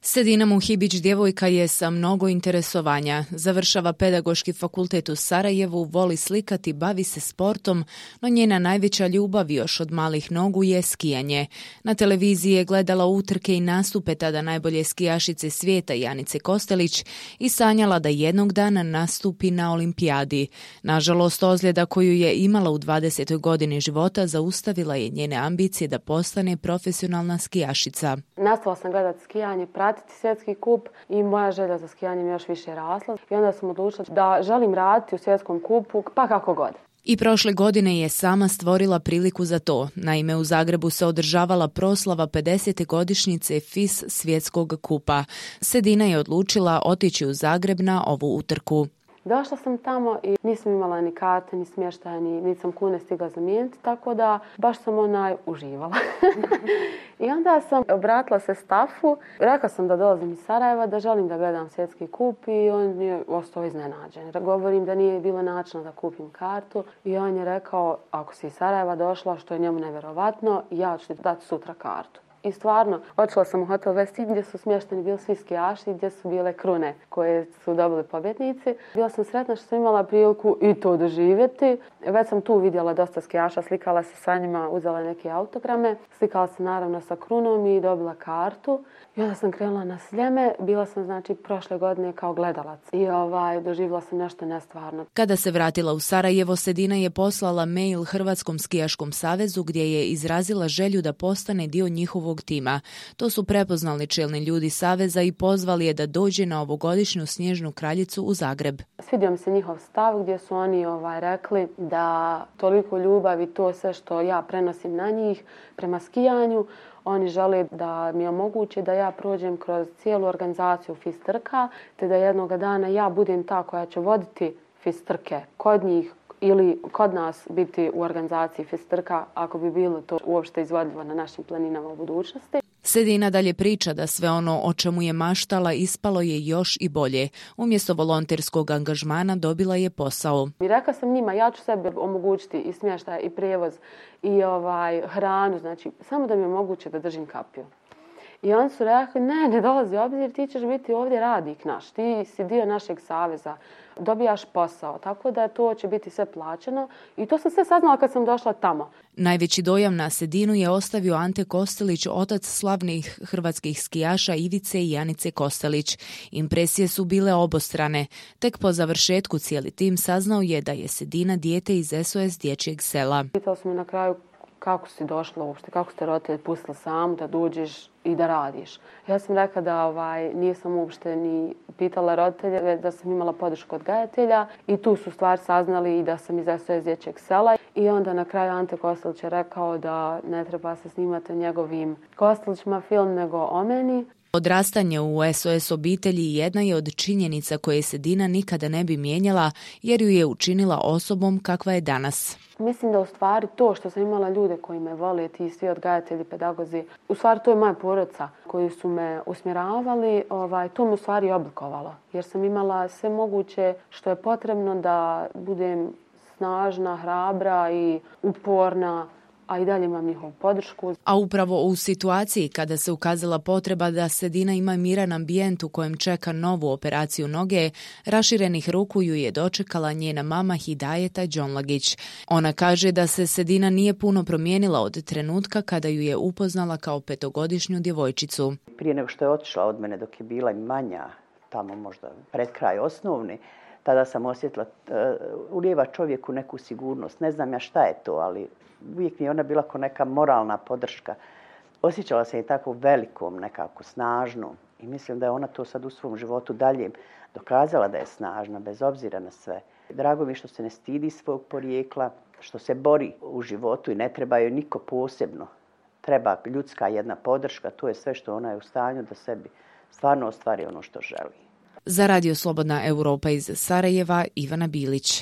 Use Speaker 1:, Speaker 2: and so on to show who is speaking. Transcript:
Speaker 1: Sedina Muhibić djevojka je sa mnogo interesovanja. Završava pedagoški fakultet u Sarajevu, voli slikati, bavi se sportom, no njena najveća ljubav još od malih nogu je skijanje. Na televiziji je gledala utrke i nastupe tada najbolje skijašice svijeta Janice Kostelić i sanjala da jednog dana nastupi na olimpijadi. Nažalost, ozljeda koju je imala u 20. godini života zaustavila je njene ambicije da postane profesionalna skijašica.
Speaker 2: Nastavila sam gledati skijanje, pratiti svjetski kup i moja želja za skijanjem još više rasla. I onda sam odlučila da želim raditi u svjetskom kupu, pa kako god.
Speaker 1: I prošle godine je sama stvorila priliku za to. Naime, u Zagrebu se održavala proslava 50. godišnjice FIS svjetskog kupa. Sedina je odlučila otići u Zagreb na ovu utrku.
Speaker 2: Došla sam tamo i nisam imala ni karte, ni smještaja, niti sam kune stigla zamijeniti, tako da baš sam uživala. I onda sam obratila se stafu, rekla sam da dolazim iz Sarajeva, da želim da gledam svjetski kup i on je ostao iznenađen. Govorim da nije bilo načina da kupim kartu i on je rekao, ako si iz Sarajeva došla, što je njemu nevjerovatno, ja ću ti dati sutra kartu. I stvarno, otišla sam u hotel Westin gdje su smješteni bili svi skijaši, gdje su bile krune koje su dobili pobjednici. Bila sam sretna što sam imala priliku i to doživjeti. Već sam tu vidjela dosta skijaša, slikala se sa njima, uzela neke autograme. Slikala se naravno sa krunom i dobila kartu. I onda sam krenula na Sljeme. Bila sam prošle godine kao gledalac. I doživjela sam nešto nestvarno.
Speaker 1: Kada se vratila u Sarajevo, Sedina je poslala mail Hrvatskom skijaškom savezu gdje je izrazila želju da postane dio njihovog tima. To su prepoznali čelni ljudi saveza i pozvali je da dođe na ovogodišnju snježnu kraljicu u Zagreb.
Speaker 2: Svidio mi se njihov stav gdje su oni rekli da toliko ljubavi, to sve što ja prenosim na njih prema skijanju, oni žele da mi omoguće da ja prođem kroz cijelu organizaciju FIS trka, te da jednog dana ja budem ta koja će voditi FIS trke kod njih ili kod nas biti u organizaciji FIS trka ako bi bilo to uopšte izvodljivo na našim planinama u budućnosti.
Speaker 1: Sedina dalje priča da sve ono o čemu je maštala ispalo je još i bolje. Umjesto volonterskog angažmana dobila je posao.
Speaker 2: I rekla sam njima, ja ću sebi omogućiti i smještaj i prijevoz i hranu, znači samo da mi omoguće da držim kapiju. I oni su rekli, ne dolazi u obzir, ti ćeš biti ovdje radnik naš, ti si dio našeg saveza, dobijaš posao, tako da to će biti sve plaćeno i to sam sve saznala kad sam došla tamo.
Speaker 1: Najveći dojam na Sedinu je ostavio Ante Kostelić, otac slavnih hrvatskih skijaša Ivice i Janice Kostelić. Impresije su bile obostrane. Tek po završetku cijeli tim saznao je da je Sedina dijete iz SOS dječjeg sela.
Speaker 2: Pitao sam me na kraju kako si došla uopšte, kako ste roditelji pustili samu da dođeš i da radiš. Ja sam rekla da nisam uopšte ni pitala roditelje, da sam imala podršku odgajatelja i tu su stvar saznali i da sam iz SOS dječjeg sela. I onda na kraju Ante Kostelić je rekao da ne treba se snimati njegovim Kostelićima film nego o meni.
Speaker 1: Odrastanje u SOS obitelji jedna je od činjenica koje Sedina nikada ne bi mijenjala jer ju je učinila osobom kakva je danas.
Speaker 2: Mislim da u stvari to što sam imala ljude koji me vole, ti svi odgajatelji, pedagozi, u stvari to je moja porodica koji su me usmjeravali, to me u stvari oblikovalo. Jer sam imala sve moguće što je potrebno da budem snažna, hrabra i uporna, a i dalje imam njihovu podršku.
Speaker 1: A upravo u situaciji kada se ukazala potreba da Sedina ima miran ambijent u kojem čeka novu operaciju noge, raširenih ruku ju je dočekala njena mama Hidajeta Đonlagić. Ona kaže da se Sedina nije puno promijenila od trenutka kada ju je upoznala kao 5-godišnju djevojčicu.
Speaker 3: Prije nego što je otišla od mene dok je bila manja, tamo možda pred kraj osnovne, tada sam osjetila, ulijeva čovjeku neku sigurnost. Ne znam ja šta je to, ali uvijek mi je ona bila kao neka moralna podrška. Osjećala se i tako velikom, nekako snažnom. I mislim da je ona to sad u svom životu dalje dokazala da je snažna, bez obzira na sve. Drago mi je što se ne stidi svog porijekla, što se bori u životu i ne treba joj niko posebno. Treba ljudska jedna podrška, to je sve što ona je u stanju da sebi stvarno ostvari ono što želi.
Speaker 1: Za Radio Slobodna Europa iz Sarajeva, Ivana Bilić.